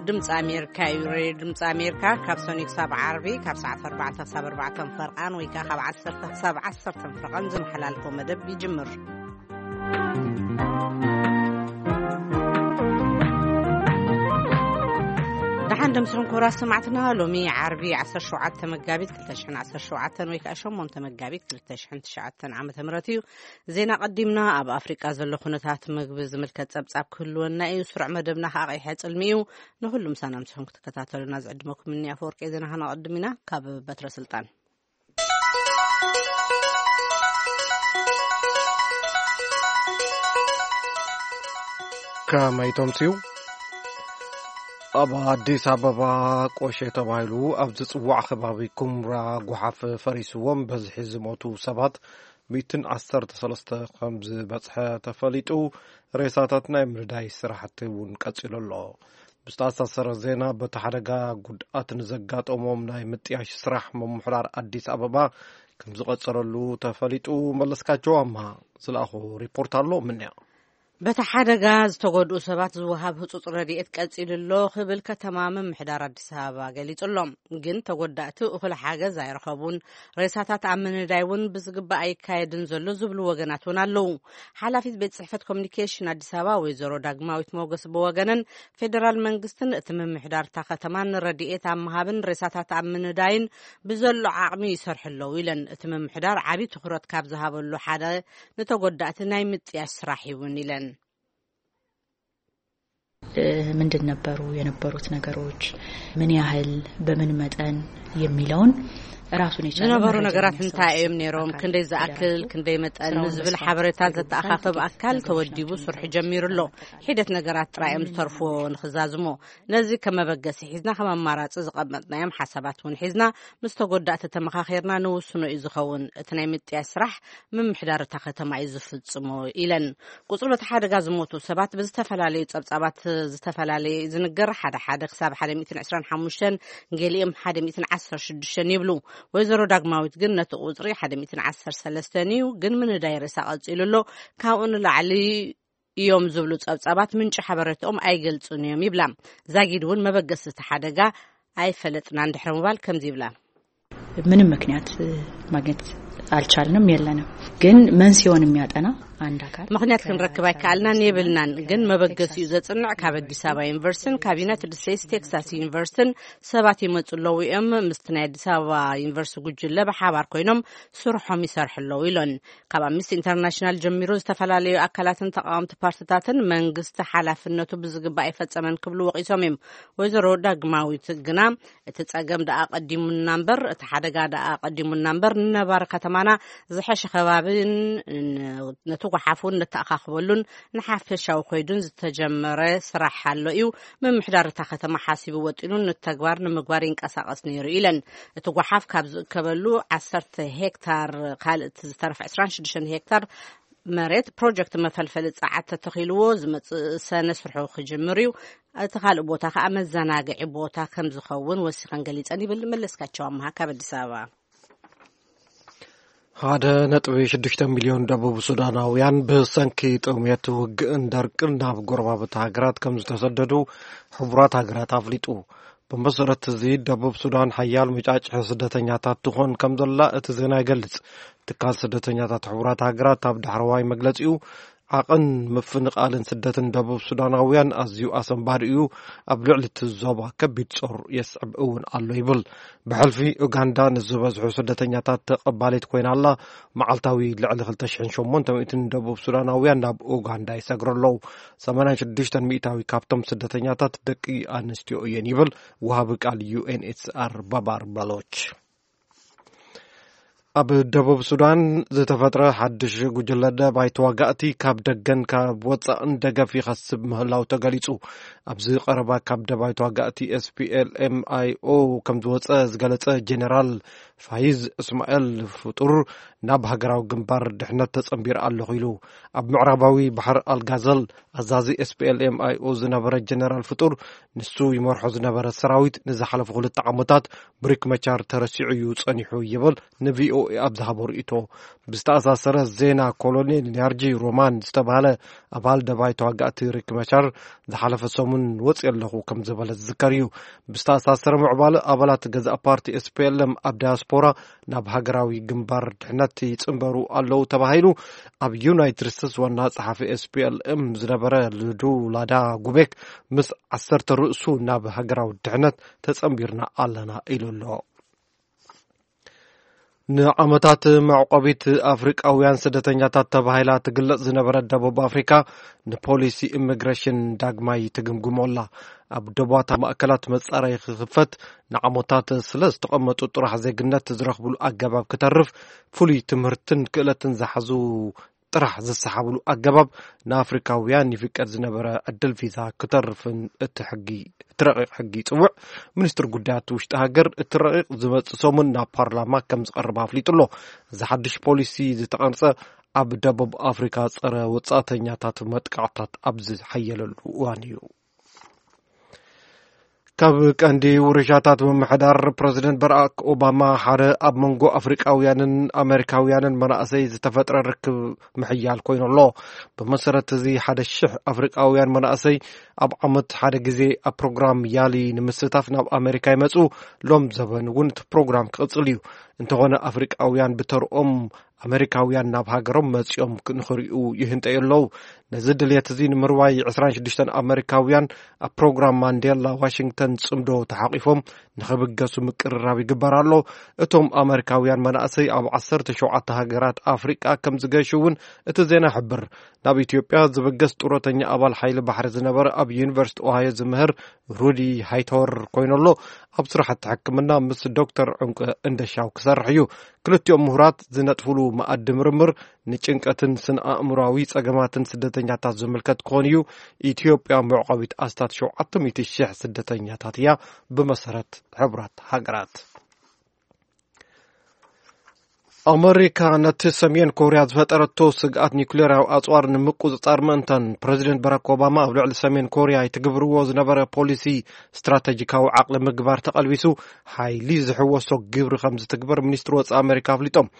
ድምፂ ኣሜሪካ እዩ። ሬድዮ ድምፂ ኣሜሪካ ካብ ሰኑይ ክሳብ ዓርቢ ካብ ሰዓት ኣርባዕተ ክሳብ ኣርባዕተ ፈርቓን ወይ ከዓ ካብ ዓሰርተ ክሳብ ዓሰርተ ፈርቓን ዝመሓላልፎ መደብ ይጅምር። ደሓን ደምስኹም ክቡራት ሰማዕትና፣ ሎሚ ዓርቢ ዓሰርተ ሸውዓተ መጋቢት ክልተ ሽሕን ዓሰርተ ሸውዓተን ወይ ከዓ ሸሞንተ መጋቢት ክልተ ሽሕን ትሽዓተን ዓመተ ምህረት እዩ። ዜና ቀዲምና። ኣብ ኣፍሪቃ ዘሎ ኩነታት ምግቢ ዝምልከት ጸብጻብ ክህልወና እዩ። ስሩዕ መደብና ከዓ ቀይሐ ጽልሚ እዩ። ንኹሉ ምሳና ምስኹም ክትከታተሉና ዝዕድመኩም እኒ ኣፈወርቂ ዜና ከነቐድም ኢና። ካብ በትረ ስልጣን። ከመይ ተምስዩ? ኣብ ኣዲስ ኣበባ ቆሼ ተባሂሉ ኣብ ዝጽዋዕ ከባቢ ኩምራ ጓሓፍ ፈሪስዎም በዝሒ ዝሞቱ ሰባት ሚእትን ዓሰርተ ሰለስተ ከም ዝበጽሐ ተፈሊጡ። ሬሳታት ናይ ምንዳይ ስራሕቲ እውን ቀጺሉ ኣሎ። ብዝተኣሳሰረ ዜና፣ በቲ ሓደጋ ጉድኣት ንዘጋጠሞም ናይ ምጥያሽ ስራሕ ምምሕዳር ኣዲስ ኣበባ ከም ዝቐጸለሉ ተፈሊጡ። መለስካቸው ኣምሃ ዝለኣኾ ሪፖርት ኣሎ። ምንያ በቲ ሓደጋ ዝተጎድኡ ሰባት ዝወሃብ ህጹጽ ረድኤት ቀጺሉ ኣሎ ክብል ከተማ ምምሕዳር ኣዲስ ኣበባ ገሊጹ ኣሎ። ግን ተጎዳእቲ እኹል ሓገዝ ኣይረኸቡን። ሬሳታት ኣብ ምንዳይ እውን ብዝግባእ ኣይካየድን ዘሎ ዝብሉ ወገናት እውን ኣለዉ። ሓላፊት ቤት ጽሕፈት ኮሚኒኬሽን ኣዲስ ኣበባ ወይዘሮ ዳግማዊት ሞገስ ብወገነን፣ ፌደራል መንግስትን እቲ ምምሕዳር እታ ከተማን ረድኤት ኣብ ምሃብን ሬሳታት ኣብ ምንዳይን ብዘሎ ዓቕሚ ይሰርሑ ኣለዉ ኢለን። እቲ ምምሕዳር ዓብዪ ትኹረት ካብ ዝሃበሉ ሓደ ንተጎዳእቲ ናይ ምጥያሽ ስራሕ እውን ኢለን። ምንድን ነበሩ የነበሩት ነገሮች፣ ምን ያህል፣ በምን መጠን የሚለውን ራሱን የቻለ ዝነበሩ መረጃ ነገራት የሚያሰባስብ እንታይ እዮም ነይሮም፣ አካል ክንደይ ዝኣክል፣ ፌዴራል ክንደይ መጠን ስራውን ዝብል በስፋት ሓበሬታ እየተገለጸ ዘተኣኻኸብ ያለ አካል ተወዲቡ ስርሑ ጀሚሩ ኣሎ። ሒደት ነገራት ጥራይ እዮም ዝተርፍዎ ንኽዛዝሞ። ነዚ ከም መበገሲ ሒዝና፣ ከም ኣማራጺ ዝቐመጥናዮም ሓሳባት እውን ሒዝና፣ ምስ ተጎዳእቲ ተመኻኺርና ንውስኖ እዩ ዝኸውን። እቲ ናይ ምጥያሽ ስራሕ ምምሕዳር እታ ከተማ እዩ ዝፍጽሞ ኢለን። ቁጽሪ በቲ ሓደጋ ዝሞቱ ሰባት ብዝተፈላለዩ ጸብጻባት ዝተፈላለየ እዩ ዝንገር። ሓደ ሓደ ክሳብ ሓደ ሚእትን ዕስራን ሓሙሽተን፣ ገሊኦም ሓደ ሚእትን ዓሰርተ ሽዱሽተን ይብሉ። ወይዘሮ ዳግማዊት ግን ነቲ ቁጽሪ ሓደ ሚእትን ዓሰርተ ሰለስተን እዩ፣ ግን ምንዳይ ሬሳ ቀጺሉ ኣሎ። ካብኡ ንላዕሊ እዮም ዝብሉ ጸብጻባት ምንጪ ሓበሬታኦም ኣይገልጹን እዮም ይብላ። ዛጊድ እውን መበገሲ እቲ ሓደጋ ኣይፈለጥናን ድሕሪ ምባል ከምዚ ይብላ። ምንም ምክንያት ማግኘት አልቻልንም፣ የለንም። ግን መንስኤውን የሚያጠና አንድ አካል ምክንያት ክንረክብ ኣይከኣልናን የብልናን። ግን መበገሲኡ ዘጽንዕ ካብ ኣዲስ ኣበባ ዩኒቨርሲቲን ካብ ዩናይትድ ስቴትስ ቴክሳስ ዩኒቨርሲቲን ሰባት ይመጹ ኣለዉ እዮም። ምስቲ ናይ ኣዲስ ኣበባ ዩኒቨርሲቲ ጉጅለ ብሓባር ኮይኖም ስርሖም ይሰርሑ ኣለዉ ኢሎን። ካብ ኣምነስቲ ኢንተርናሽናል ጀሚሩ ዝተፈላለዩ ኣካላትን ተቃወምቲ ፓርቲታትን መንግስቲ ሓላፍነቱ ብዝግባእ ኣይፈጸመን ክብሉ ወቒሶም እዮም። ወይዘሮ ዳግማዊት ግና እቲ ጸገም ደኣ ቀዲሙና እምበር፣ እቲ ሓደጋ ደኣ ቀዲሙና እምበር፣ ንነባሪ ከተማና ዝሐሸ ከባብን ን-፣ ነቲ ጓሓፍ እውን ነተኣኻኽበሉን ንሓፈሻዊ ኮይዱን ዝተጀመረ ስራሕ ኣሎ እዩ። ምምሕዳር እታ ከተማ ሓሲቡ ወጢኑን ንተግባር ንምግባር ይንቀሳቐስ ነይሩ ኢለን። እቲ ጓሓፍ ካብ ዝእከበሉ ዓሰርተ ሄክታር ካልእ እቲ ዝተረፈ ዕስራን ሽዱሽተን ሄክታር መሬት ፕሮጀክት መፈልፈሊ ጸዓት ተተኺልዎ ዝመጽእ ሰነ ስርሑ ክጅምር እዩ። እቲ ካልእ ቦታ ከኣ መዘናግዒ ቦታ ከም ዝኸውን ወሲኸን ገሊጸን ይብል መለስካቸው ኣምሃ ካብ ኣዲስ ኣበባ። ሓደ ነጥቢ ሽዱሽተ ሚልዮን ደቡብ ሱዳናውያን ብሰንኪ ጥሜት፣ ውግእን ደርቅን ናብ ጎረባብቲ ሃገራት ከም ዝተሰደዱ ሕቡራት ሃገራት ኣፍሊጡ። ብመሰረት እዚ፣ ደቡብ ሱዳን ሓያል መጫጭሒ ስደተኛታት ትኾን ከም ዘላ እቲ ዜና ይገልጽ። ትካል ስደተኛታት ሕቡራት ሃገራት ኣብ ዳሕረዋይ መግለጺኡ፣ ዓቕን ምፍንቓልን ስደትን ደቡብ ሱዳናውያን ኣዝዩ ኣሰንባዲ እዩ፣ ኣብ ልዕሊ እቲ ዞባ ከቢድ ጾር የስዕብ እውን ኣሎ ይብል። ብሕልፊ ኡጋንዳ ንዝበዝሑ ስደተኛታት ተቐባሊት ኮይና ኣላ። መዓልታዊ ልዕሊ ክልተ ሽሕን ሸሞንተ ሚእትን ደቡብ ሱዳናውያን ናብ ኡጋንዳ ይሰግሩ ኣለዉ። ሰማንያን ሽዱሽተን ሚእታዊ ካብቶም ስደተኛታት ደቂ ኣንስትዮ እየን ይብል ወሃቢ ቃል ዩ ኤን ኤች ሲ ኣር ባባር ባሎች። ኣብ ደቡብ ሱዳን ዝተፈጥረ ሓድሽ ጉጅለ ደባይ ተዋጋእቲ ካብ ደገን ካብ ወጻእን ደገፍ ይኸስብ ምህላው ተገሊጹ። ኣብዚ ቀረባ ካብ ደባይ ተዋጋእቲ ኤስ ፒ ኤል ኤም ኣይ ኦ ከም ዝወጸ ዝገለጸ ጀነራል ፋይዝ እስማኤል ፍጡር፣ ናብ ሃገራዊ ግንባር ድሕነት ተጸንቢሩ ኣለኹ ኢሉ። ኣብ ምዕራባዊ ባሕሪ ኣልጋዘል ኣዛዚ S P L M I O ዝነበረ ጀነራል ፍጡር፣ ንሱ ይመርሖ ዝነበረ ሰራዊት ንዝሓለፉ ክልተ ዓመታት ብሪክ መቻር ተረሲዑ እዩ ጸኒሑ ይብል ን V O A ኣብ ዝሃቦ ርእይቶ። ብዝተኣሳሰረ ዜና፣ ኮሎኔል ኒያርጂ ሮማን ዝተባህለ ኣባል ደባይ ተዋጋእቲ ሪክ መቻር ዝሓለፈ ሰሙን ወፅየ ኣለኹ ከም ዝበለ ዝዝከር እዩ። ብዝተኣሳሰረ ምዕባለ፣ ኣባላት ገዛእ ፓርቲ S P L M ኣብ ዳያስፖራ ናብ ሃገራዊ ግንባር ድሕነት ይጽንበሩ ኣለዉ ተባሂሉ። ኣብ ዩናይትድ ስቴትስ ዋና ጸሓፊ S P L M ዝነበረ ልዱ ላዳ ጉቤክ ምስ ዓሰርተ ርእሱ ናብ ሃገራዊ ድሕነት ተጸንቢርና ኣለና ኢሉ ኣሎ። ንዓመታት መዕቆቢት ኣፍሪቃውያን ስደተኛታት ተባሂላ ትግለጽ ዝነበረት ደቡብ ኣፍሪካ ንፖሊሲ ኢሚግሬሽን ዳግማይ ትግምግሞ ኣላ። ኣብ ደባታ ማእከላት መጻረዪ ክኽፈት፣ ንዓመታት ስለ ዝተቐመጡ ጥራሕ ዜግነት ዝረኽብሉ ኣገባብ ክተርፍ፣ ፍሉይ ትምህርትን ክእለትን ዝሓዙ ጥራሕ ዝሰሓብሉ ኣገባብ ንኣፍሪካውያን ይፍቀድ ዝነበረ ዕድል ቪዛ ክተርፍን እቲ ሕጊ፣ እቲ ረቂቕ ሕጊ ይጽውዕ። ሚኒስትሪ ጉዳያት ውሽጢ ሃገር እቲ ረቂቕ ዝመጽእ ሰሙን ናብ ፓርላማ ከም ዝቐርብ ኣፍሊጡ ኣሎ። እዚ ሓድሽ ፖሊሲ ዝተቐርጸ ኣብ ደቡብ ኣፍሪካ ጸረ ወጻእተኛታት መጥቃዕታት ኣብ ዝሓየለሉ እዋን እዩ። ካብ ቀንዲ ውርሻታት ምምሕዳር ፕረዚደንት በራክ ኦባማ ሓደ ኣብ መንጎ ኣፍሪቃውያንን ኣሜሪካውያንን መናእሰይ ዝተፈጥረ ርክብ ምሕያል ኮይኑ ኣሎ። ብመሰረት እዚ ሓደ ሽሕ ኣፍሪቃውያን መናእሰይ ኣብ ዓመት ሓደ ግዜ ኣብ ፕሮግራም ያሊ ንምስታፍ ናብ ኣሜሪካ ይመጹ። ሎም ዘበን እውን እቲ ፕሮግራም ክቕጽል እዩ። እንተኾነ ኣፍሪቃውያን ብተርኦም ኣመሪካውያን ናብ ሃገሮም መጺኦም ንኽሪኡ ይህንጠዩ ኣለዉ። ነዚ ድልየት እዚ ንምርዋይ ዕስራን ሽዱሽተን ኣመሪካውያን ኣብ ፕሮግራም ማንዴላ ዋሽንግተን ጽምዶ ተሓቒፎም ንኽብገሱ ምቅርራብ ይግበር ኣሎ። እቶም ኣመሪካውያን መናእሰይ ኣብ ዓሰርተ ሸውዓተ ሃገራት ኣፍሪቃ ከም ዝገሹ እውን እቲ ዜና ይሕብር። ናብ ኢትዮጵያ ዝብገስ ጡረተኛ ኣባል ሓይሊ ባሕሪ ዝነበረ ኣብ ዩኒቨርሲቲ ኦሃዮ ዝምህር ሩዲ ሃይተወር ኮይኑ ኣሎ። ኣብ ስራሕቲ ሕክምና ምስ ዶክተር ዕንቁ እንደሻው ክሰርሕ እዩ። ክልቲኦም ምሁራት ዝነጥፍሉ መኣዲ ምርምር ንጭንቀትን ስነ ኣእምሮኣዊ ጸገማትን ስደተኛታት ዝምልከት ክኾን እዩ። ኢትዮጵያ መዕቆቢት ኣስታት ሸውዓተ ሚእቲ ሺሕ ስደተኛታት እያ ብመሰረት ሕቡራት ሃገራት። ኣመሪካ ነቲ ሰሜን ኮርያ ዝፈጠረቶ ስግኣት ኒውክሌራዊ ኣጽዋር ንምቁጽጻር ምእንታን ፕረዚደንት ባራክ ኦባማ ኣብ ልዕሊ ሰሜን ኮርያ ይትግብርዎ ዝነበረ ፖሊሲ ስትራተጂካዊ ዓቕሊ ምግባር ተቐልቢሱ ሓይሊ ዝሕወሶ ግብሪ ከም ዝትግበር ሚኒስትሪ ወጻኢ ኣመሪካ ኣፍሊጦም።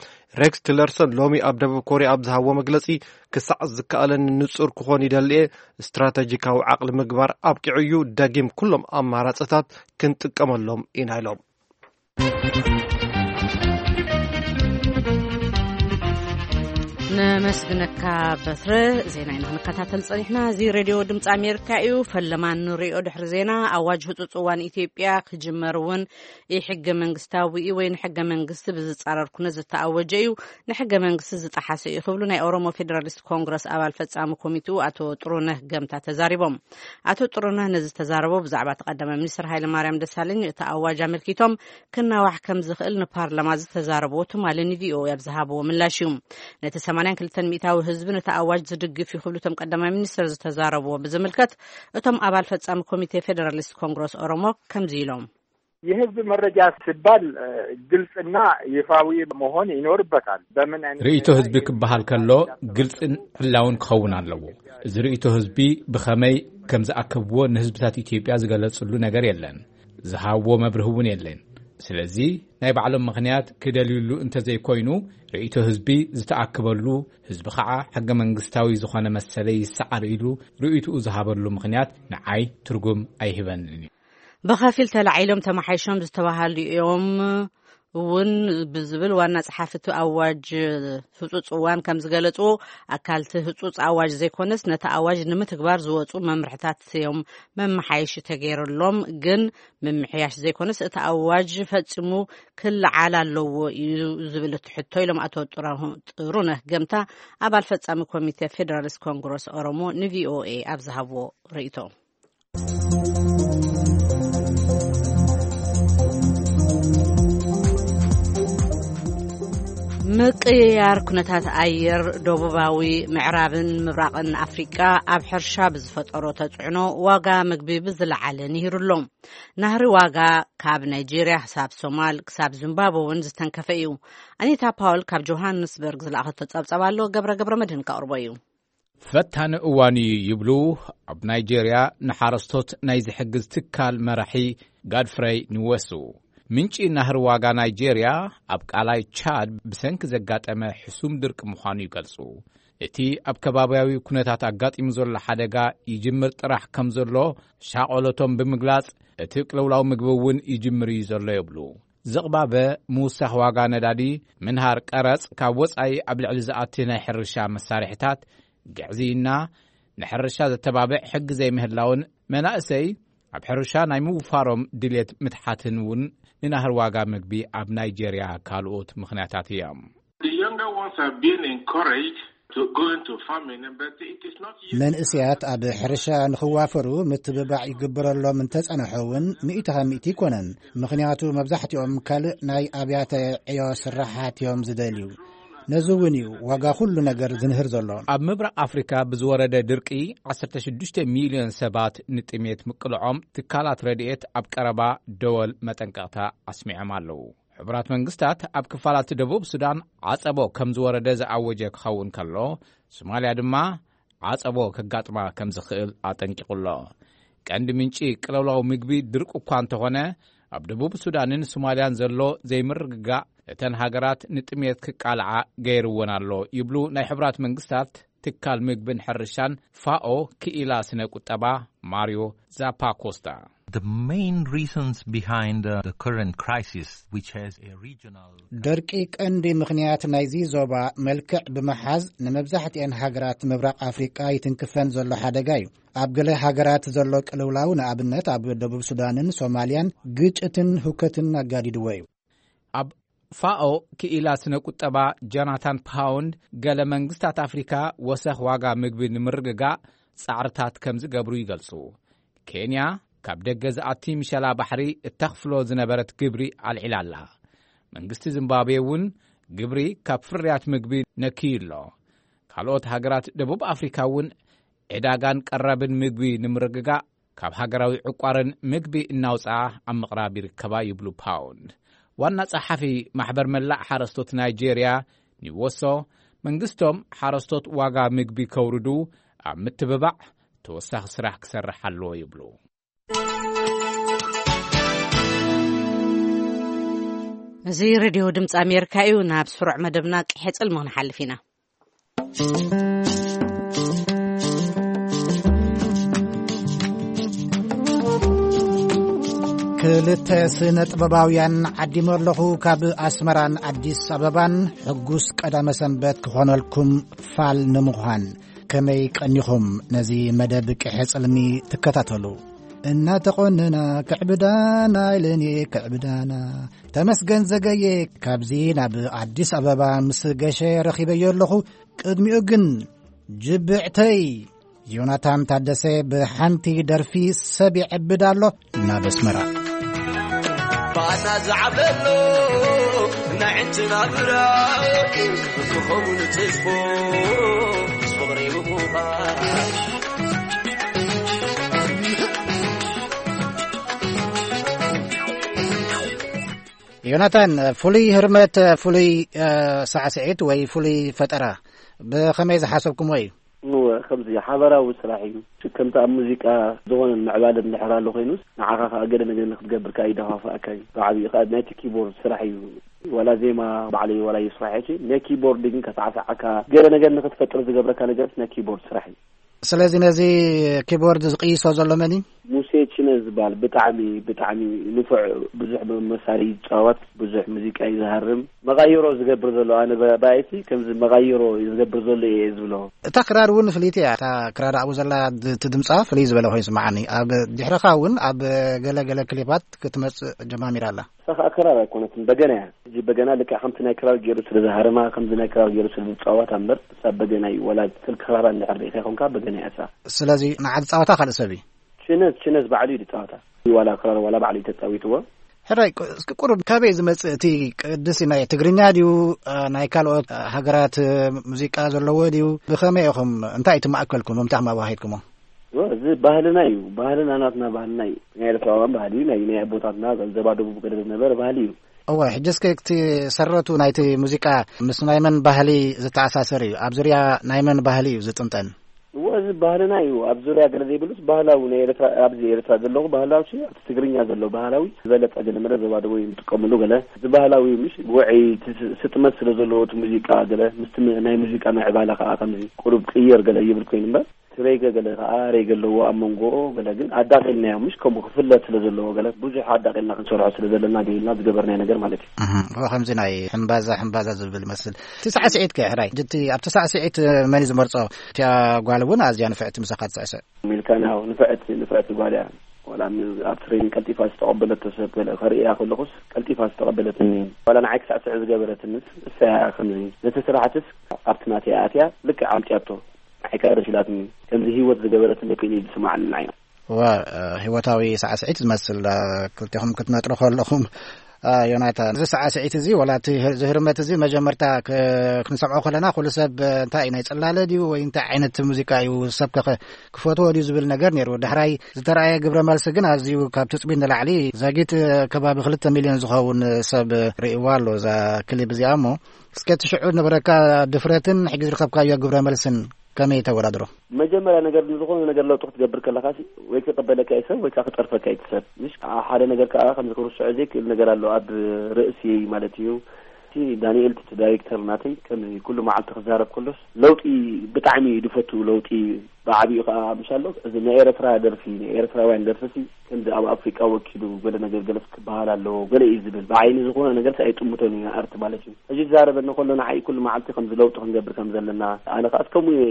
ሬክስ ቲለርሰን ሎሚ ኣብ ደቡብ ኮርያ ኣብ ዝሃቦ መግለጺ፣ ክሳዕ ዝከኣለኒ ንጹር ክኾን ይደሊ እየ። ስትራተጂካዊ ዓቕሊ ምግባር ኣብቂዑ እዩ። ደጊም ኩሎም ኣማራጽታት ክንጥቀመሎም ኢና ኢሎም። ነመስግነካ በትረ። ዜና ኢና ክንከታተል ጸኒሕና። እዚ ሬድዮ ድምፂ ኣሜሪካ እዩ። ፈለማ ንሪኦ ድሕሪ ዜና፣ ኣዋጅ ህፁፅ እዋን ኢትዮጵያ ክጅመር እውን ኢ ሕገ መንግስታዊ እዩ ወይ ንሕገ መንግስቲ ብዝፃረር ኩነት ዝተኣወጀ እዩ፣ ንሕገ መንግስቲ ዝጠሓሰ እዩ ክብሉ ናይ ኦሮሞ ፌዴራሊስት ኮንግረስ ኣባል ፈፃሚ ኮሚቴኡ ኣቶ ጥሩነህ ገምታ ተዛሪቦም። ኣቶ ጥሩነህ ነዚ ዝተዛረቦ ብዛዕባ እቲ ቀዳማይ ሚኒስትር ሃይለ ማርያም ደሳለኝ እቲ ኣዋጅ ኣመልኪቶም ክናዋሕ ከም ዝኽእል ንፓርላማ ዝተዛረብዎ ትማሊ ን ቪ ኦ ኤ ኣብ ዝሃብዎ ምላሽ እዩ። ነቲ ሰማንያን ክልተን ሚእታዊ ህዝቢ ነቲ ኣዋጅ ዝድግፍ እዩ ክብሉ እቶም ቀዳማይ ሚኒስትር ዝተዛረብዎ ብዝምልከት እቶም ኣባል ፈጻሚ ኮሚቴ ፌደራሊስት ኮንግረስ ኦሮሞ ከምዚ ኢሎም። የህዝብ መረጃ ሲባል ግልጽና ይፋዊ መሆን ይኖርበታል። በምን አይነት ርእይቶ ሁኔታ ህዝቢ ክበሃል ከሎ ግልጽን ዕላውን ክኸውን ኣለዎ። እዚ ርእይቶ ህዝቢ ብኸመይ ከም ዝኣከብዎ ንህዝብታት ኢትዮጵያ ዝገለጽሉ ነገር የለን። ዝሃብዎ መብርህ እውን የለን። ስለዚ ናይ ባዕሎም ምኽንያት ክደልዩሉ እንተዘይኮይኑ፣ ርእይቶ ህዝቢ ዝተኣከበሉ፣ ህዝቢ ኸዓ ሕገ መንግስታዊ ዝኾነ መሰለይ ይሰዓር ኢሉ ርእይትኡ ዝሃበሉ ምኽንያት ንዓይ ትርጉም ኣይህበንን እዩ። ብኸፊል ተላዒሎም ተማሓይሾም ዝተባሃሉ እዮም እውን ብዝብል ዋና ጸሓፊ እቲ ኣዋጅ ህጹጽ እዋን ከም ዝገለጽዎ፣ ኣካል እቲ ህጹጽ ኣዋጅ ዘይኮነስ ነቲ ኣዋጅ ንምትግባር ዝወጹ መምርሕታት እዮም መመሓየሺ ተገይርሎም። ግን ምምሕያሽ ዘይኮነስ እቲ ኣዋጅ ፈጺሙ ክለዓል ኣለዎ እዩ ዝብል እቲ ሕቶ ኢሎም ኣቶ ጥራሁ-፣ ጥሩነህ ገምታ ኣባል ፈጻሚ ኮሚቴ ፌደራሊስት ኮንግረስ ኦሮሞ ን ቪ ኦ ኤ ኣብ ዝሃብዎ ርእይቶ። ምቅይያር ኩነታት ኣየር ደቡባዊ ምዕራብን ምብራቕን ኣፍሪቃ ኣብ ሕርሻ ብዝፈጠሮ ተጽዕኖ ዋጋ ምግቢ ብዝለዓለ ንሂሩ ኣሎ። ናህሪ ዋጋ ካብ ናይጄርያ ክሳብ ሶማል ክሳብ ዚምባብወ እውን ዝተንከፈ እዩ። ኣኒታ ፓውል ካብ ጆሃንስበርግ ዝለኣኸቶ ጸብጸብ ኣሎ፣ ገብረ ገብረ መድህን ከቕርቦ እዩ። ፈታኒ እዋን እዩ ይብሉ ኣብ ናይጄርያ ንሓረስቶት ናይ ዝሕግዝ ትካል መራሒ ጋድፍረይ ንወሱ። ምንጪ ናህሪ ዋጋ ናይጄርያ ኣብ ቃላይ ቻድ ብሰንኪ ዘጋጠመ ሕሱም ድርቂ ምዃኑ ይገልጹ። እቲ ኣብ ከባብያዊ ኩነታት ኣጋጢሙ ዘሎ ሓደጋ ይጅምር ጥራሕ ከም ዘሎ ሻቐሎቶም ብምግላጽ፣ እቲ ቅልውላው ምግቢ እውን ይጅምር እዩ ዘሎ ይብሉ። ዝቕባበ ምውሳኽ ዋጋ ነዳዲ፣ ምንሃር ቀረጽ፣ ካብ ወጻኢ ኣብ ልዕሊ ዝኣቲ ናይ ሕርሻ መሳርሒታት፣ ግዕዝይና፣ ንሕርሻ ዘተባብዕ ሕጊ ዘይምህላውን መናእሰይ ኣብ ሕርሻ ናይ ምውፋሮም ድልየት ምትሓትን እውን ንናህሪ ዋጋ ምግቢ ኣብ ናይጄርያ ካልኦት ምኽንያታት እዮም። The younger ones are being encouraged to go into farming, but it is not yet. መንእሰያት ኣብ ሕርሻ ንኽዋፈሩ ምትብባዕ ይግበረሎም እንተጸንሖ እውን ሚእቲ ካብ ሚእቲ ኣይኮነን። ምኽንያቱ መብዛሕትኦም ካልእ ናይ ኣብያተ ዕዮ ስራሓት እዮም ዝደልዩ። ነዚ እውን እዩ ዋጋ ኩሉ ነገር ዝንህር ዘሎ። ኣብ ምብራቕ ኣፍሪካ ብዝወረደ ድርቂ ዓሰርተ ሽዱሽተ ሚልዮን ሰባት ንጥሜት ምቅልዖም ትካላት ረድኤት ኣብ ቀረባ ደወል መጠንቀቕታ ኣስሚዖም ኣለዉ። ሕቡራት መንግስታት ኣብ ክፋላት ደቡብ ሱዳን ዓጸቦ ከም ዝወረደ ዝኣወጀ ክኸውን ከሎ፣ ሶማልያ ድማ ዓጸቦ ከጋጥማ ከም ዝኽእል ኣጠንቂቑ ኣሎ። ቀንዲ ምንጪ ቅልውላው ምግቢ ድርቂ እኳ እንተኾነ፣ ኣብ ደቡብ ሱዳንን ሶማልያን ዘሎ ዘይምርግጋእ እተን ሃገራት ንጥሜት ክቃልዓ ገይርወን ኣሎ ይብሉ ናይ ሕቡራት መንግስታት ትካል ምግብን ሕርሻን ፋኦ ክኢላ ስነ ቁጠባ ማሪዮ ዛፓኮስታ። The main reasons behind uh, the current crisis, which has a regional ደርቂ ቀንዲ ምኽንያት ናይዚ ዞባ መልክዕ ብምሓዝ ንመብዛሕትኤን ሃገራት ምብራቕ ኣፍሪቃ ይትንክፈን ዘሎ ሓደጋ እዩ። ኣብ ገለ ሃገራት ዘሎ ቅልውላው፣ ንኣብነት ኣብ ደቡብ ሱዳንን ሶማልያን፣ ግጭትን ሁከትን ኣጋዲድዎ እዩ። ኣብ ፋኦ ክኢላ ስነ ቁጠባ ጆናታን ፓውንድ፣ ገለ መንግስታት ኣፍሪካ ወሰኽ ዋጋ ምግቢ ንምርግጋእ ጻዕርታት ከም ዝገብሩ ይገልጹ። ኬንያ ካብ ደገ ዝኣቲ ምሸላ ባሕሪ እተኽፍሎ ዝነበረት ግብሪ ኣልዒላ ኣላ። መንግስቲ ዚምባብዌ እውን ግብሪ ካብ ፍርያት ምግቢ ነክዩ ኣሎ። ካልኦት ሃገራት ደቡብ ኣፍሪካ እውን ዕዳጋን ቀረብን ምግቢ ንምርግጋእ ካብ ሃገራዊ ዕቋርን ምግቢ እናውፅኣ ኣብ ምቕራብ ይርከባ ይብሉ ፓውንድ። ዋና ጸሓፊ ማሕበር መላእ ሓረስቶት ናይጄርያ ኒወሶ፣ መንግስቶም ሓረስቶት ዋጋ ምግቢ ከውርዱ ኣብ ምትብባዕ ተወሳኺ ስራሕ ክሰርሕ ኣለዎ ይብሉ። እዚ ሬድዮ ድምፂ ኣሜሪካ እዩ። ናብ ስሩዕ መደብና ቅሐ ጽልሚ ክንሓልፍ ኢና። ክልተ ስነ ጥበባውያን ዓዲመ ኣለኹ ካብ ኣስመራን ኣዲስ ኣበባን። ሕጉስ ቀዳመ ሰንበት ክኾነልኩም ፋል ንምዃን። ከመይ ቀኒኹም ነዚ መደብ ቅሐ ጽልሚ ትከታተሉ? እናተቖነና ክዕብዳና ኢለንየ ክዕብዳና። ተመስገን ዘገየ ካብዚ ናብ ኣዲስ ኣበባ ምስ ገሸ ረኺበዮ ኣለኹ። ቅድሚኡ ግን ጅብዕተይ ዮናታን ታደሰ ብሓንቲ ደርፊ ሰብ ይዕብድ ኣሎ ናብ ኣስመራ። ባና ዝዓብደሎ ናይ ዕንትና ብራቂ ክኸውን ተስፎ ምስ ፍቕሪ ብምዃን። ዮናታን፣ ፍሉይ ህርመት፣ ፍሉይ፣ እ፣ ሳዕስዒት ወይ ፍሉይ ፈጠራ ብኸመይ ዝሓሰብኩምዎ እዩ? እወ፣ ከምዚ ሓበራዊ ስራሕ እዩ። ከምቲ ኣብ ሙዚቃ ዝኾነ ምዕባለ እንድሕር ኣሎ ኮይኑስ፣ ንዓኻ ከኣ ገለ ነገር ንክትገብር ከኣ ይደፋፍኣካ እዩ። ብዓብዩ ከኣ ናይቲ ኪቦርድ ስራሕ እዩ። ዋላ ዜማ ባዕለይ ዋላ ይስራሕ እየ፣ ናይ ኪቦርድ ግን ከሳዕስዓካ፣ ገለ ነገር ንክትፈጥር ዝገብረካ ነገር ናይ ኪቦርድ ስራሕ እዩ። ስለዚ ነዚ ኪቦርድ ዝቅይሶ ዘሎ መን እዩ? ሙሴ ችነ ዝበሃል ብጣዕሚ፣ ብጣዕሚ ንፉዕ፣ ብዙሕ መሳርሒ ይጻወት፣ ብዙሕ ሙዚቃ እዩ ዝሃርም። መቓይሮ ዝገብር ዘሎ፣ ኣነ ብ-፣ ብኣይቲ ከምዚ መቓይሮ ዝገብር ዘሎ እየ ዝብሎ። እታ ክራር እውን ፍልይቲ እያ። እታ ክራር ኣብኡ ዘላ ድ-፣ እቲ ድምጻ ፍልይ ዝበለ ኮይኑ ይስምዓኒ። ኣብ ድሕረኻ እውን ኣብ ገለ ገለ ክሊፓት ክትመጽእ ጀማሚራ ኣላ። እሳ ኸኣ ክራር ኣይኮነትን፣ በገና እያ። ሕጂ በገና ልክዕ ከምቲ ናይ ክራር ገይሩ ስለ ዝሃርማ፣ ከምዚ ናይ ክራር ገይሩ ስለ ዝጻወታ እምበር፣ እሳ በገና እዩ። ወላ ስልኪ ክራራ እንድሕር ርኢኻ ይኾንካ፣ በገና እያ እሳ። ስለዚ ንዓ ዝጻወታ ካልእ ሰብ እዩ። ችነዝ፣ ችነዝ ባዕሉ እዩ ዝጻወታ። ዋላ ክራር ዋላ ባዕሉ እዩ ተጻዊትዎ። ሕራይ፣ ቁ-፣ እስኪ ቁሩብ ካበይ ዝመጽእ እቲ ቅድሲ ናይ ትግርኛ ድዩ፣ እ፣ ናይ ካልኦት፣ እ፣ ሃገራት፣ እ፣ ሙዚቃ ዘለዎ ድዩ? ብኸመይ ኢኹም፣ እንታይ እቲ ማእከልኩም፣ እንታይ ኣባሂትኩሞ? ወ-፣ እዚ ባህልና እዩ። ባህልና ናትና ባህልና እዩ። ናይ ኤርትራውያን ባህሊ እዩ። ናይ፣ ናይ ኣቦታትና ዘባ ደቡብ ገለ ዝነበረ ባህሊ እዩ። እወ፣ ሕጂ እስከ እቲ ሰረቱ ናይቲ ሙዚቃ ምስ ናይ መን ባህሊ ዝተኣሳሰር እዩ? ኣብ ዙርያ ናይ መን ባህሊ እዩ ዝጥንጠን? እወ፣ እዚ ባህልና እዩ። ኣብ ዙርያ ገለ ዘይብሉስ ባህላዊ ናይ ኤርትራ፣ ኣብዚ ኤርትራ ዘለኹ ባህላዊ ሲ፣ ኣብቲ ትግርኛ ዘሎ ባህላዊ ዝበለጸ ገለ መለ ዘባ ደቡብ እዮም ዝጥቀምሉ ገለ። እዚ ባህላዊ ምሽ ውዑይ፣ እቲ ስ-፣ ስጥመት ስለ ዘለዎ እቲ ሙዚቃ ገለ፣ ምስቲ ም-፣ ናይ ሙዚቃ ምዕባለ ከኣ ከምዚ ቁሩብ ቅይር ገለ ይብል ኮይኑ እምበር፣ እቲ ሬገ ገለ ከኣ ሬገ ኣለዎ ኣብ መንጎኡ ገለ፣ ግን ኣዳቒልናዮ ምሽ ከምኡ ክፍለጥ ስለ ዘለዎ ገለ፣ ብዙሕ ኣዳቒልና ክንሰርሖ ስለ ዘለና ገይልና ዝገበርናዮ ነገር ማለት እዩ። እህ፣ እወ፣ ከምዚ ናይ ሕምባዛ፣ ሕምባዛ ዝብል ይመስል። እቲ ሳዕስዒት ከ፣ ሕራይ፣ እቲ ኣብቲ ሳዕስዒት መን እዩ ዝመርጾ? እቲኣ ጓል እውን ኣዝያ ንፍዕቲ ምሳኻ ትስዕስዕ። ሚልካ፣ ናው ንፍዕቲ፣ ንፍዕቲ ጓል እያ። ዋላ ም-፣ ኣብ ትሬኒንግ ቀልጢፋ ዝተቐበለቶ ሰብ ገለ ከርእያ ከለኹስ፣ ቀልጢፋ ዝተቐበለትኒ፣ ዋላ ንዓይ ክስዕስዕ ዝገበረትንስ እሳ እያ። ከምዚ ነቲ ስራሕትስ ኣብቲ ናተይ ኣትያ ልክዕ ኣምጽያቶ። ንዓይ ከኣ ደስ ኢላትኒ። ከምዚ ህይወት ዝገበረትኒ ኮይኑ እዩ ዝስምዓኒ ንዓይ። እወ፣ እ፣ ህይወታዊ ሳዕስዒት ዝመስል፣ እ፣ ክልቴኹም ክትነጥሩ ከለኹም፣ እ፣ ዮናታን፣ እዚ ሳዕስዒት እዚ፣ ዋላ እቲ ህር-፣ እዚ ህርመት እዚ መጀመርታ ክ-፣ ክንሰምዖ ከለና፣ ኩሉ ሰብ፣ እ፣ እንታይ እዩ፣ ናይ ጽላለ ድዩ ወይ እንታይ ዓይነት ሙዚቃ እዩ፣ ሰብ ከ ክፈትዎ ድዩ ዝብል ነገር ነይሩ። ዳሕራይ ዝተረኣየ ግብረ መልሲ ግን ኣዝዩ ካብ ትጽቢት ንላዕሊ፣ ዛጊት፣ እ፣ ከባቢ ክልተ ሚልዮን ዝኸውን ሰብ ርእይዋ ኣሎ እዛ ክሊፕ እዚኣ። እሞ እስከ እቲ ሽዑ ዝነበረካ ድፍረትን ሕጂ ዝረኸብካዮ ግብረ መልስን ከመይ ተወዳድሮ? መጀመርያ ነገር ንዝኾነ ነገር ለውጢ ክትገብር ከለኻ ሲ፣ ወይ ክቕበለካ እዩ ሰብ፣ ወይ ከዓ ክጸርፈካ እዩ ሰብ። ምሽ ሓደ ነገር ከዓ ከምዚ ክርስዖ ዘይክእል ነገር ኣሎ ኣብ ርእሲ ማለት እዩ። እቲ ዳንኤል እቲ ዳይሬክተር ናተይ ከምዚ ኩሉ መዓልቲ ክዛረብ ከሎስ ለውጢ ብጣዕሚ እዩ ዝፈቱ፣ ለውጢ ብዓቢኡ ከዓ ምሽ ኣሎ። እዚ ናይ ኤርትራ ደርፊ፣ ናይ ኤርትራውያን ደርፊ ሲ ከምዚ ኣብ ኣፍሪቃ ወኪሉ ገለ ነገር ገለስ ክበሃል ኣለዎ ገለ እዩ ዝብል። ብዓይኒ ዝኾነ ነገር ሲ ኣይጥምቶን እዩ ኣርቲ ማለት እዩ። ሕጂ ዝዛረበኒ ከሎ ንዓይ ኩሉ መዓልቲ ከምዚ ለውጢ ክንገብር ከም ዘለና፣ ኣነ ከዓ ከምኡ እየ።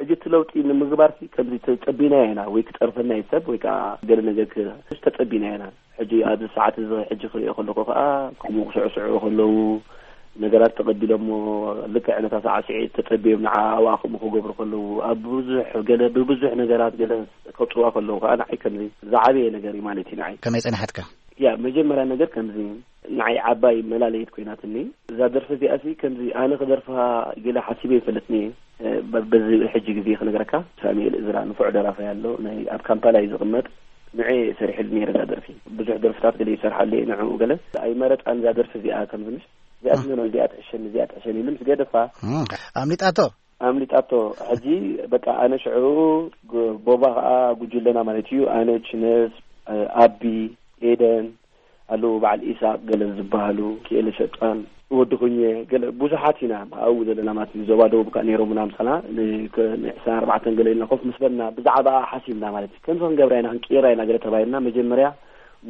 ሕጂ እቲ ለውጢ ንምግባር ሲ ከምዚ ተጸቢና ኢና ወይ ክጸርፈና እዩ ሰብ ወይ ከዓ ገለ ነገር ክ-፣ ተጸቢና ኢና። ሕጂ ኣብዚ ሰዓት እዚ ሕጂ ክሪኦ ከለኹ ከዓ ከምኡ ክስዕስዑ ከለዉ ነገራት ተቐቢሎሞ ልክዕ ነታ ሳዕስዒት ተጸቢዮም ንዓ ኣብኣ ከምኡ ክገብሩ ከለዉ ኣብ ብዙሕ ገለ ብብዙሕ ነገራት ገለ ከውጽዋ ከለዉ ከዓ ንዓይ ከምዚ ዝዓበየ ነገር እዩ ማለት እዩ ንዓይ። ከመይ ጸናሓትካ? ያ መጀመርያ ነገር ከምዚ ንዓይ ዓባይ መላለየት ኮይናትኒ እዛ ደርፊ እዚኣ ሲ ከምዚ ኣነ ክደርፋ ገለ ሓሲበ ይፈልጥኒ እየ። እ፣ በ-፣ በዚ ሕጂ ግዜ ክነግረካ ሳሙኤል እዝራ ንፉዕ ደራፋይ ኣሎ ናይ ኣብ ካምፓላ እዩ ዝቕመጥ። ንዑ እየ ሰሪሕሉ ነይረ እዛ ደርፊ። ብዙሕ ደርፍታት ገለ ይሰርሓሉ እየ ንዕኡ ገለ ኣይመረጻን እዛ ደርፊ እዚኣ ከምዚ ምሽ እዚኣ ትመኖ እዚኣ ትሕሸኒ እዚኣ ትሕሸኒ ኢሉ ምስ ገደፋ እም፣ ኣምሊጣቶ። ኣምሊጣቶ። ሕጂ በቃ ኣነ ሽዑ ግ-፣ ቦባ ከኣ ጉጅለና ማለት እዩ ኣነ ችነስ፣ እ፣ ኣቢ፣ ኤደን ኣለዉ በዓል ኢሳቅ ገለ ዝበሃሉ ክኤለ ሸጣን ወዲ ኩኘ ገለ ብዙሓት ኢና ኣብኡ ዘለና ማለት እዩ። ዞባ ደቡብ ከኣ ነይሮምና ምሳና ን-፣ ከ-፣ ንዕስራን ኣርባዕተን ገለ ኢልና ኮፍ ምስ በልና ብዛዕባ ሓሲብና ማለት እዩ። ከምዚ ክንገብራ ኢና ክንቅይራ ኢና ገለ ተባሂልና መጀመርያ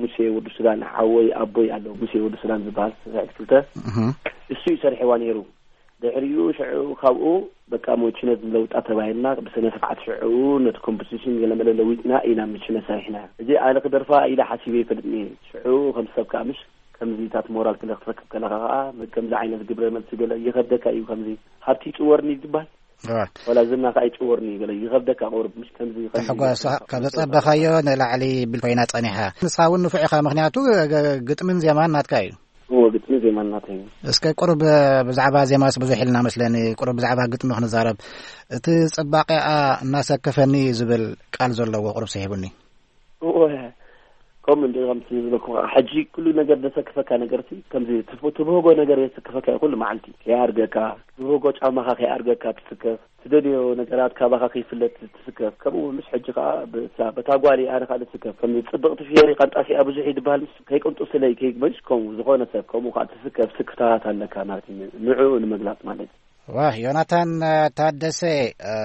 ሙሴ ወዲ ሱዳን ሓወይ ኣቦይ ኣሎ ሙሴ ወዲ ሱዳን ዝበሃል ሰብዒት ክልተ እህ። እሱ እዩ ሰሪሕዋ ነይሩ። ድሕሪኡ ሽዑ ካብኡ በቃ ሞችነት ንለውጣ ተባሂልና ብስነ ስርዓት ሽዑ ነቲ ኮምፖዚሽን ገለመለ ለዊጥና ኢና ምችነ ሰሪሕና። እዚ ኣነ ክደርፋ ኢለ ሓሲበ ይፈልጥኒ። ሽዑ ከም ሰብ ከኣ ምሽ ከምዚታት ሞራል ክለ ክትረክብ ከለኻ ከኣ ከምዚ ዓይነት ግብረ መልሲ ገለ ይኸብደካ እዩ። ከምዚ ሃብቲ ይጽወርኒ ይባል እዋ። ወላ ዝና ከኣ ይጽወርኒ እዩ ገለ ይኸብደካ ቁሩብ ምሽ ከምዚ ከምዚ ተሕጓስ ካብ ዘጸበኻዮ ንላዕሊ ብል ኮይና ጸኒሓ። ንስኻ እውን ንፉዕ ኢኻ፣ ምኽንያቱ ገ-፣ ግጥምን ዜማን ናትካ እዩ። እዎ፣ ግጥሚ ዜማ እናተይ። እስከ ቁሩብ ብዛዕባ ዜማስ ብዙሕ ኢልና መስለኒ፣ ቁሩብ ብዛዕባ ግጥሚ ክንዛረብ። እቲ ጽባቐኣ እናሰከፈኒ ዝብል ቃል ዘለዎ ቁሩብ ስሒቡኒ። እዎ፣ ከምኡ እንዲ ከምቲ ዝበልኩ፣ ሕጂ ኩሉ ነገር ዘሰክፈካ ነገርሲ፣ ከምዚ ትፍ-፣ ትብህጎ ነገር የስክፈካ እዩ ኩሉ መዓልቲ። ከይኣርገካ፣ ትብህጎ ጫማኻ ከይኣርገካ ትስከፍ። ትደልዮ ነገራት ካባኻ ከይፍለጥ ትስከፍ። ከምኡ እውን ምስ ሕጂ ከኣ በታ፣ በታ ጓል ኣነ ከኣ ዝስከፍ። ከም ጽብቕቲ ፍየሪ ቃንጣሲኣ ብዙሕ እዩ ዝበሃል ምስ ከይቅንጡ ስለይ ከይግበሽ ከምኡ ዝኾነ ሰብ ከምኡ ከኣ ትስከፍ ስክፍታታት ኣለካ ማለት እዩ። ንዕኡ ንምግላጽ ማለት እዩ። ዋህ፣ ዮናታን ታደሰ፣ እ፣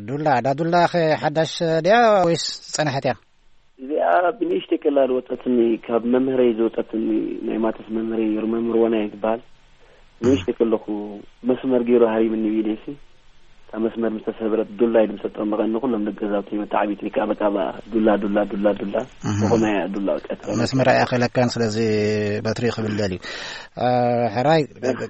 ዱላ፣ እዳ ዱላ ኸ ሓዳሽ ድያ ወይስ ጸንሐት እያ? እዚኣ ብንእሽተይ ከላ ዝወጸትኒ፣ ካብ መምህረይ ዝወጸትኒ፣ ናይ ማተስ መምህረይ ነይሩ፣ መምህር ወና እዩ ዝበሃል። ንእሽተይ ከለኹ መስመር ገይሩ ሃሪምኒ ብኢደይሲ። ኣብ መስመር ምስ ተሰብረት ዱላ ኢሉ ምሰጠው መቐኒ ኩሎም ደገዛውቲ መተዓቢቲ ከኣ በቃ ዱላ፣ ዱላ፣ ዱላ፣ ዱላ። እህ። ዝኾነ እያ ዱላ በቃ። መስመር ኣይኣኸለካን፣ ስለዚ በትሪ ክብል ደልዩ። እ፣ ሕራይ፣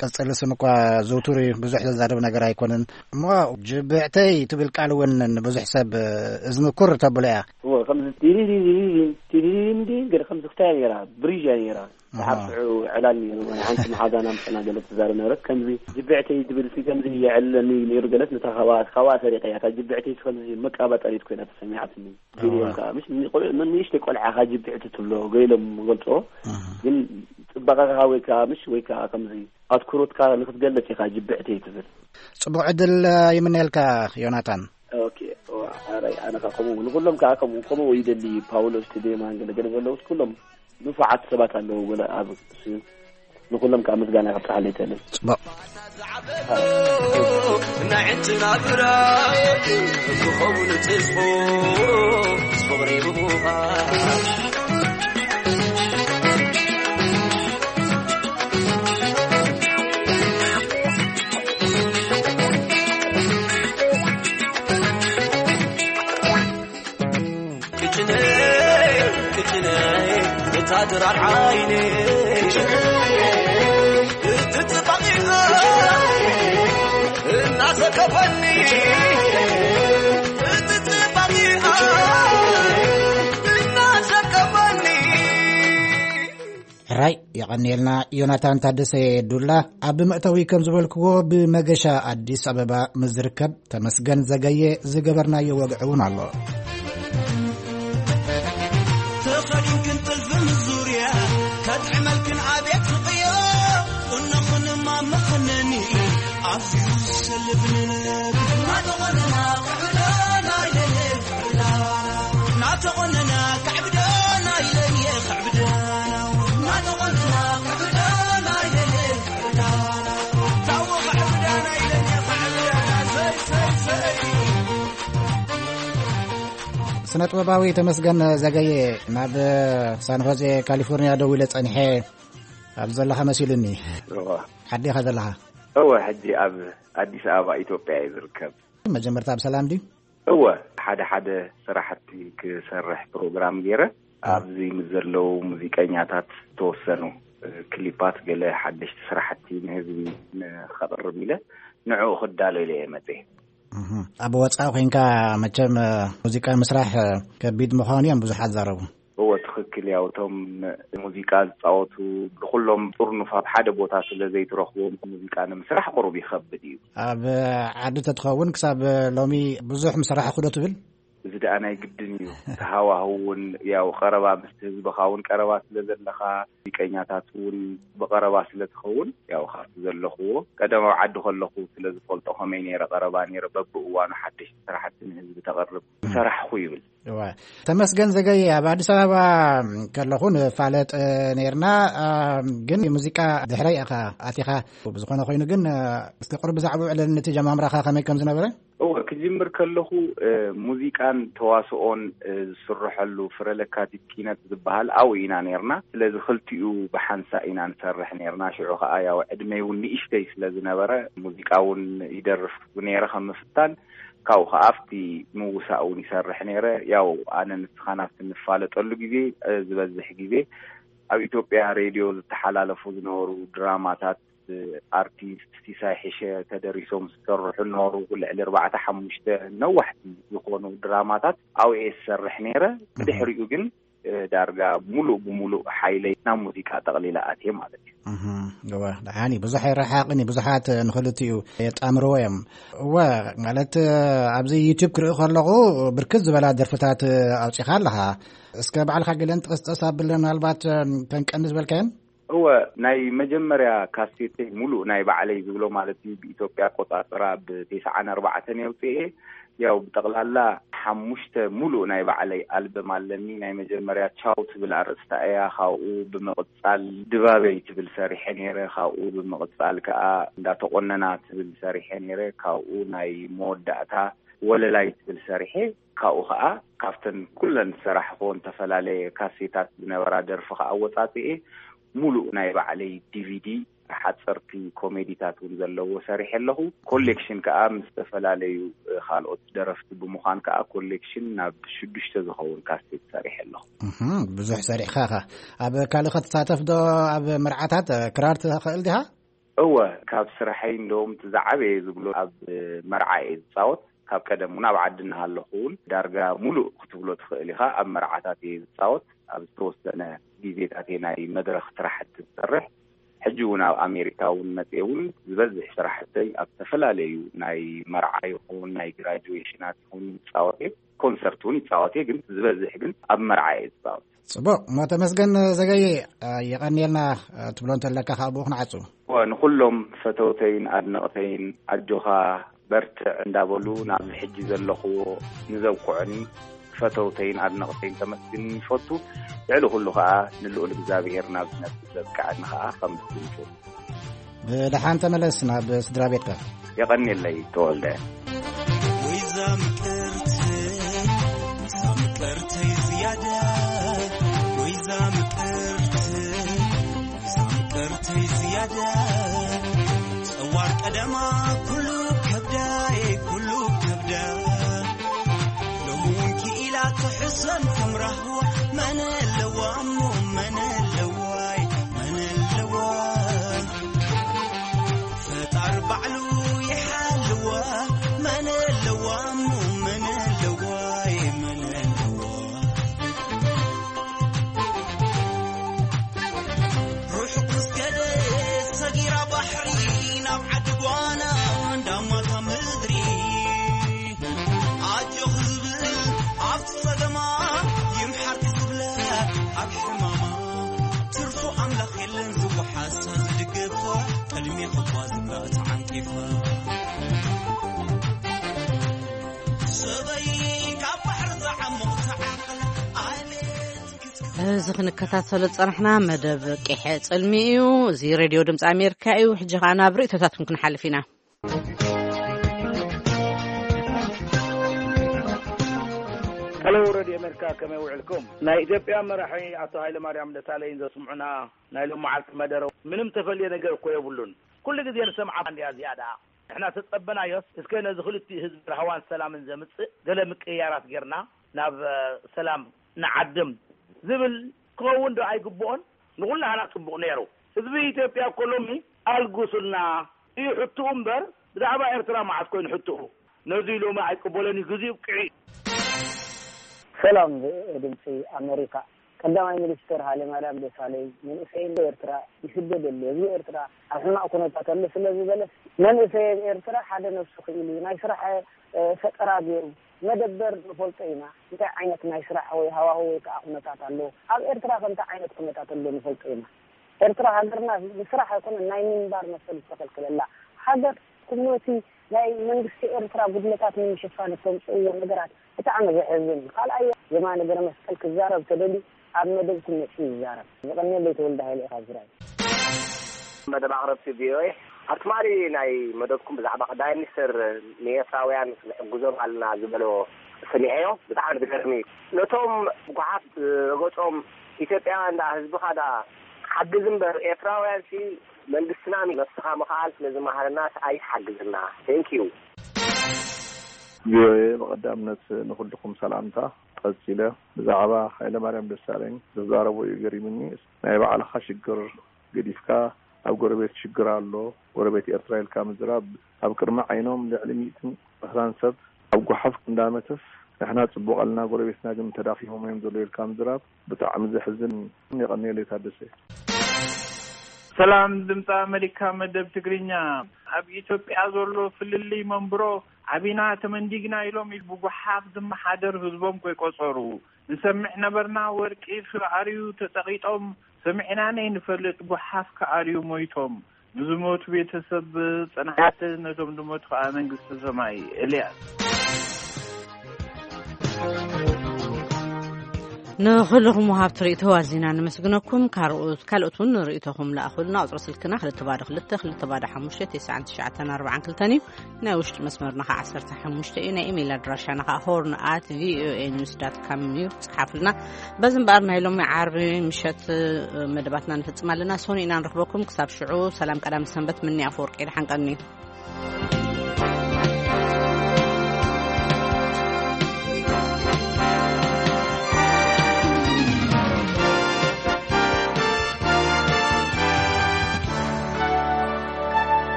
ቅጽል ስም እኳ ዝውቱር እዩ፣ ብዙሕ ዘዛርብ ነገር ኣይኮነን። እሞ ጅብዕተይ ትብል ቃል እውን ንብዙሕ ሰብ እዝኒ ኩር ተብሎ እያ። እዎ፣ ከምዚ ቲሪሪሪሪ፣ ቲሪሪሪ እንዲ ገለ ከምዚ ክታይ እያ ነይራ፣ ብሪጅ እያ ነይራ። ኣሃ። ሰዓት ሽዑ ዕላል ነይሩ፣ ናይ ሓንቲ መሓዛና ምሳና ገለ ትዛረብ ነበረት። ከምዚ ጅብዕተይ ትብል ሲ ከምዚ የዕልለኒ ነይሩ ገለት፣ ነታ ካብኣ፣ ካብኣ ሰሪቐ እያ። እታ ጅብዕተይ ሲ ከምዚ መቃባጠሪት ኮይና ተሰሚዓትኒ። ገሊኦም እዋ። ከኣ፣ ምሽ፣ ንቆልዑ፣ ንእሽተይ ቆልዓ ከኣ ጅብዕቲ ትብሎ፣ ገሊኦም ገልጾ። ኣሃ። ግን ጽባቐኻ ወይ ከኣ፣ ምሽ፣ ወይ ከኣ ከምዚ ኣትኩሮትካ ንክትገልጽ ኢኻ ጅብዕተይ ትብል። ጽቡቕ ዕድል ይምነየልካ ዮናታን። ኦኬ፣ ዋ፣ ኣረ፣ ኣነ ከኣ ከምኡ፣ ንኹሎም ከኣ ከምኡ፣ ከምኡ ይደሊ፣ ፓውሎስ፣ ቲዴማን፣ ገለ ገለ ዘለዉ፣ ኩሎም ንፉዓት ሰባት ኣለዉ፣ ገለ ኣብ፣ ንኹሎም ከኣ ምስጋና ከብጽሓለይ ይደሊ። ጽቡቕ። ንዕንትና ብራይ ክኸውን ተስፎ፣ ፍቕሪ ብቡኻ። ቅጭነይ፣ ቅጭነይ፣ እታ ድራር ዓይነይ፣ እቲ ጽባቐኣ እናሰከፈኒ፣ እቲ ጽባቐኣ እናሰከፈኒ። ሕራይ የቐንየልና ዮናታን ታደሰ ዱላ። ኣብ መእተዊ ከም ዝበልክዎ፣ ብመገሻ ኣዲስ ኣበባ ምስ ዝርከብ ተመስገን ዘገየ ዝገበርናዮ ወግዒ እውን ኣሎ። ተኸዲንክን ጥልፊ ምስ ዙርያ ከጥዕመልክን ኣቤት ፍቕዮ፣ ቁኖኽንማ መኸነኒ ኣዝዩ ዝሰልብ ንነብ። እናተቖነና ክዕብደና ኢለየ ክዕብደና፣ እናተቖነና ክዕብደና ኢለየ ክዕብደና፣ እናተቖነና ክዕብደና ኢለየ ክዕብደና፣ ታቦ ክዕብደና ኢለየ ክዕብደና፣ ሰይ፣ ሰይ፣ ሰይ። ስነ ጥበባዊ ተመስገን ዘገየ፣ ናብ ሳን ሆዜ ካሊፎርኒያ ደዊለ ጸኒሐ ኣብ ዘለኻ መሲሉኒ። እዋ። ዓዲ ኢኻ ዘለኻ? እወ፣ ሕጂ ኣብ ኣዲስ ኣበባ ኢትዮጵያ እየ ዝርከብ። መጀመርታ ብሰላም ድዩ? እወ፣ ሓደ ሓደ ስራሕቲ ክሰርሕ ፕሮግራም ገይረ፣ እ። ኣብዚ ምስ ዘለዉ ሙዚቀኛታት ዝተወሰኑ፣ እ፣ ክሊፓት፣ ገለ ሓደሽቲ ስራሕቲ ንህዝቢ ንኸቕርብ ኢለ ንዕኡ ክዳሎ ኢለ እየ መፅየ። እህ። ኣብ ወፃኢ ኮይንካ መቸም፣ እ፣ ሙዚቃ ምስራሕ፣ እ፣ ከቢድ ምዃኑ እዮም ብዙሓት ዛረቡ። እወ፣ ትኽክል። ያው እቶም ሙዚቃ ዝፃወቱ ብኩሎም ጥርኑፍ ኣብ ሓደ ቦታ ስለ ዘይትረኽቦም፣ ሙዚቃ ንምስራሕ ቁሩብ ይኸብድ እዩ። ኣብ ዓዲ ተትኸውን ክሳብ ሎሚ ብዙሕ ምሰራሕኹ ዶ ትብል? እዚ ደኣ ናይ ግድን እዩ። እቲ ሃዋህው እውን፣ ያው ቀረባ ምስቲ ህዝብኻ እውን ቀረባ ስለ ዘለኻ፣ ሙዚቀኛታት እውን ብቐረባ ስለ ትኸውን፣ ያው ካብቲ ዘለኽዎ፣ ቀደም ኣብ ዓዲ ከለኹ ስለ ዝፈልጦ፣ ከመይ ነይረ ቀረባ ነይረ፣ በብእዋኑ ሓደሽቲ ስራሕቲ ንህዝቢ ተቕርብ፣ ም። ሰራሕኹ ይብል። እዋ። ተመስገን ዘገየ፣ ኣብ ኣዲስ ኣበባ ከለኹ ንፋለጥ፣ እ፣ ነይርና፣ እ፣ ግን ሙዚቃ ድሕረይ ኢኻ ኣቲኻ። ብዝኾነ ኮይኑ ግን፣ እ፣ እስቲ ቁሩብ ብዛዕባኡ ዕለል፣ ነቲ ጀማምራኻ ከመይ ከም ዝነበረ? እወ፣ ክጅምር ከለኹ፣ እ፣ ሙዚቃን ተዋስኦን፣ እ፣ ዝስርሐሉ ፍረ ለካቲት ኪነት ዝበሃል ኣብኡ ኢና ነይርና። ስለዚ ክልቲኡ ብሓንሳእ ኢና ንሰርሕ ነይርና። ሽዑ ኸኣ ያው ዕድመይ እውን ንእሽተይ ስለ ዝነበረ፣ ሙዚቃ እውን ይደርፍ ነይረ ከም ምፍታን። ካብኡ ኸዓ ኣብቲ ምውሳእ እውን ይሰርሕ ነይረ። ያው ኣነ ንስኻን ኣብቲ ንፋለጠሉ ግዜ፣ እ፣ ዝበዝሕ ግዜ ኣብ ኢትዮጵያ ሬድዮ ዝተሓላለፉ ዝነበሩ ድራማታት፣ እ፣ ኣርቲስት ሲሳይ ሕሸ ተደሪሶም ዝሰርሑ ነበሩ። ልዕሊ ኣርባዕተ ሓሙሽተ ነዋሕቲ ዝኾኑ ድራማታት ኣብኡ እየ ዝሰርሕ ነይረ። እህ። ብድሕሪኡ ግን፣ እ፣ ዳርጋ ሙሉእ ብሙሉእ ሓይለይ ናብ ሙዚቃ ጠቕሊለ ኣትየ ማለት እዩ። እህ፣ እወ፣ ደሓን እዩ። ብዙሕ ኣይረሓቕን እዩ። ብዙሓት ንኽልቲኡ የጣምርዎ እዮም። እወ፣ ማለት፣ ኣብዚ ዩቱብ ክርኢ ከለኹ ብርክት ዝበላ ደርፍታት ኣውጺኻ ኣለኻ። እስከ ባዕልኻ ገለን ጥቕስጥቕስ ኣብለን፣ ምናልባት፣ ከንቀኒ ዝበልካየን? እወ፣ ናይ መጀመርያ ካሴተይ ሙሉእ ናይ ባዕለይ ዝብሎ ማለት እዩ፣ ብኢትዮጵያ ኣቆጻጽራ ብተስዓን ኣርባዕተን የውጽኤ። ያው ብጠቕላላ ሓሙሽተ ሙሉእ ናይ ባዕለይ ኣልበም ኣለኒ። ናይ መጀመርያ ቻው ትብል ኣርእስታ እያ። ካብኡ ብምቕጻል ድባበይ ትብል ሰሪሐ ነይረ። ካብኡ ብምቕጻል ከኣ እንዳተቆነና ትብል ሰሪሐ ነይረ። ካብኡ ናይ መወዳእታ ወለላይ ትብል ሰሪሐ። ካብኡ ከኣ ካብተን ኩለን ዝሰራሕክወን ዝተፈላለየ ካሴታት ዝነበራ ደርፊ ከኣ ወጻጽኤ ሙሉእ ናይ ባዕለይ ዲቪዲ ሓፀርቲ ኮሜዲታት እውን ዘለዎ ሰሪሐ ኣለኹ። ኮሌክሽን ከዓ ምስ ዝተፈላለዩ ካልኦት ደረፍቲ ብምዃን ከዓ ኮሌክሽን ናብ ሽዱሽተ ዝኸውን ካሴት ሰሪሐ ኣለኹ። ብዙሕ ሰሪሕኻ ኢኻ። ኣብ ካልእ ክትሳተፍ ዶ? ኣብ መርዓታት ክራር ትኽእል ዲኻ? እወ፣ ካብ ስራሐይ እንደውም እቲ ዝዓበየ ዝብሎ ኣብ መርዓ እየ ዝፃወት። ካብ ቀደም እውን ኣብ ዓዲ እናሃለኹ እውን ዳርጋ ሙሉእ ክትብሎ ትኽእል ኢኻ ኣብ መርዓታት እየ ዝፃወት። ኣብ ዝተወሰነ ግዜታት እየ ናይ መድረኽ ስራሕቲ ዝሰርሕ። ሕጂ እውን ኣብ ኣሜሪካ እውን መፅየ እውን ዝበዝሕ ስራሕተይ ኣብ ዝተፈላለዩ ናይ መርዓ ይኹን ናይ ግራጁዌሽናት ይኹን ይፃወት እየ። ኮንሰርት እውን ይፃወት እየ፣ ግን ዝበዝሕ ግን ኣብ መርዓ እየ ዝፃወት። ጽቡቕ፣ ሞ ተመስገን ዘገየ፣ የቐንየልና ትብሎ እንተለካ ካብ ብኡ ክንዓጹ። እወ፣ ንኹሎም ፈተውተይን ኣድነቕተይን ኣጆኻ በርትዕ እንዳበሉ ናብዚ ሕጂ ዘለኽዎ ንዘብቅዑኒ ፈተውተይን ኣድነቕተይን ከመስግን ይፈቱ። ልዕሊ ኩሉ ኸኣ ንልኡል እግዚኣብሔር ናብዚ ነጥቢ ዘብቅዐኒ ኸኣ ከመስግን ይፈቱ። ብደሓን ተመለስ ናብ ስድራ ቤትካ። የቐንየለይ ተወልደ። ወይዛ ምቅርቲ፣ ወይዛ ምቅርተይ ዝያዳ፣ ወይዛ ምቅርቲ፣ ወይዛ ምቅርተይ ዝያዳ። ጸዋር ቀደማ ኩሉ ከብዳይ፣ ኩሉ ከብዳ። ሎሚ እውን ክኢላ ትሕሰም ከም ራህዋ፣ መን ኣለዋ እሞ መን ኣለዋይ፣ መን ኣለዋ? ፈጣር ባዕሉ ይሓልዋ፣ መን ኣለዋ እሞ መን ኣለዋይ፣ መን ኣለዋ? ርሑቕ ምስ ከደ ሰጊራ ባሕሪ፣ ናብ ዓዲ ጓና እንዳማታ ምድሪ። ኣጆኺ ዝብል ኣብቲ ጸገማ፣ ይምሓርኪ ዝብለ ኣብ ሕማማ። ትርፉ ኣምላኽ የለን ዝወሓሳ ዝድግፋ፣ ቅድሚ ኹባ ዝብላ ተዓንቂፋ። ሰበይ ካብ ባሕሪ ዝዓሙቕ ተዓቕል፣ ኣቤት ክትክ- እዚ ክንከታተሎ ዝጸናሕና መደብ ቂሐ ጽልሚ እዩ። እዚ ሬድዮ ድምፂ ኣሜሪካ እዩ። ሕጂ ኸዓ ናብ ርእይቶታትኩም ክንሓልፍ ኢና። ሄሎ ሬድዮ ኣሜሪካ፣ ከመይ ውዕልኩም? ናይ ኢትዮጵያ መራሒ ኣቶ ሃይለ ማርያም ደሳለኝ ዘስምዑና ናይ ሎም መዓልቲ መደረ ምንም ተፈልየ ነገር እኮ የብሉን። ኩሉ ግዜ ንሰምዓ እንዲያ እዚኣ ደኣ። ንሕና ተጸበናዮስ፣ እስከ ነዚ ክልቲኡ ህዝቢ ራህዋን ሰላምን ዘምጽእ ገለ ምቅይያራት ጌርና ናብ፣ እ፣ ሰላም ንዓድም ዝብል ክኸውን ዶ ኣይግብኦን? ንኹላህና ጽቡቕ ነይሩ። ህዝቢ ኢትዮጵያ እኮ ሎሚ ኣልጉሱልና እዩ ሕትኡ እምበር፣ ብዛዕባ ኤርትራ መዓስ ኮይኑ ሕትኡ? ነዚ ሎሚ ኣይቅበሎን እዩ፣ ግዜኡ ኣብቂዑ እዩ። ሰላም ድምፂ ኣሜሪካ። ቀዳማይ ሚኒስትር ሃይለማርያም ደሳለኝ መንእሰይ ኤርትራ ይስደድ ኣሎ። ህዝቢ ኤርትራ ኣብ ሕማቕ ኩነታት ኣሎ ስለ ዝበለ መንእሰይ ኤርትራ ሓደ ነብሱ ክኢሉ ናይ ስራሕ፣ እ፣ ፈጠራ ገይሩ መደበር ንፈልጦ ኢና። እንታይ ዓይነት ናይ ስራሕ ወይ ሃዋሁ ወይ ከዓ ኩነታት ኣሎ? ኣብ ኤርትራ ከ እንታይ ዓይነት ኩነታት ኣሎ ንፈልጦ ኢና። ኤርትራ ሃገርና ብስራሕ ኣይኮነን ናይ ምንባር መሰል ዝተኸልከለላ ሃገር፣ ኩነቲ ናይ መንግስቲ ኤርትራ ጉድለታት ንምሽፋን እተምፅእዎ ነገራት ብጣዕሚ ዘሕዝን እዩ። ካልኣይ የማነ ገረመስቀል ክዛረብ ተደልዩ ኣብ መደብኩም መፂኡ ይዛረብ። የቐንየለይ ተወልደ ሃይለ ኢኻ ዝራይ። መደብ ኣቕረብቲ ቪኦኤ፣ ኣብ ትማሊ ናይ መደብኩም ብዛዕባ ቀዳማይ ሚኒስትር ንኤርትራውያን ክንሕግዞም ኣለና ዝበሎ ሰሚዐዮ። ብጣዕሚ ዝገርም እዩ። ነቶም ጓሓፍ ረገጾም ኢትዮጵያውያን ዳ ህዝብኻ ዳ ሓግዝ እምበር ኤርትራውያን ሲ መንግስትና ነብስኻ ምኽኣል ስለ ዝመሃረና ሲ ኣይትሓግዝና። Thank you። ቪኦኤ ብቐዳምነት ንኹልኩም ሰላምታ። ቀጺለ ብዛዕባ ሃይለማርያም ደሳለኝ ዝዛረቦ እዩ ገሪሙኒ። ናይ ባዕልኻ ሽግር ገዲፍካ ኣብ ጎረቤት ሽግር ኣሎ፣ ጎረቤት ኤርትራ ኢልካ ምዝራብ፣ ኣብ ቅድሚ ዓይኖም ልዕሊ ሚእትን ዕስራን ሰብ ኣብ ጓሓፍ እንዳመተስ ንሕና ጽቡቕ ኣለና፣ ጎረቤትና ግን ተዳኺሞም እዮም ዘለዉ ኢልካ ምዝራብ ብጣዕሚ ዘሕዝን። የቐንየለይ ታደሰ። ሰላም ድምፂ ኣሜሪካ መደብ ትግርኛ። ኣብ ኢትዮጵያ ዘሎ ፍልልይ መንብሮ ዓቢና ተመንዲግና ኢሎም ብጓሓፍ ዝመሓደር ህዝቦም ከይቆጸሩ ንሰምዕ ነበርና። ወርቂ ክኣርዩ ተጸቒጦም ሰሚዕና ነይንፈልጥ፣ ጓሓፍ ክኣርዩ ሞይቶም። ንዝሞቱ ቤተሰብ ጽንዓት፣ ነቶም ዝሞቱ ከኣ መንግስቲ ሰማይ። ኤልያስ። ንኹልኹም ወሃብቲ ርእይቶ ኣዚና ነመስግነኩም። ካልኦት ካልኦት እውን ርእይቶኹም ለኣኹልና። ቁፅሪ ስልክና ክልተ ባዶ ክልተ ክልተ ባዶ ሓሙሽተ ተስዓን ትሽዓተን ኣርባዓን ክልተን እዩ። ናይ ውሽጢ መስመርና ከዓ ዓሰርተ ሓሙሽተ እዩ። ናይ ኢሜይል ኣድራሻና ከዓ ሆርን ኣት ቪኦኤ ኒውስ ዳት ካም እዩ። ፀሓፉልና። በዚ እምበኣር ናይ ሎሚ ዓርቢ ምሸት መደባትና ንፍፅም ኣለና። ሶኒ ኢና ንረኽበኩም። ክሳብ ሽዑ ሰላም ቀዳም ሰንበት። ምኒ ኣፈወርቂ ደሓን ቀኒ።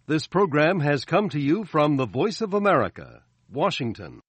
This program has come to you from the Voice of America, Washington.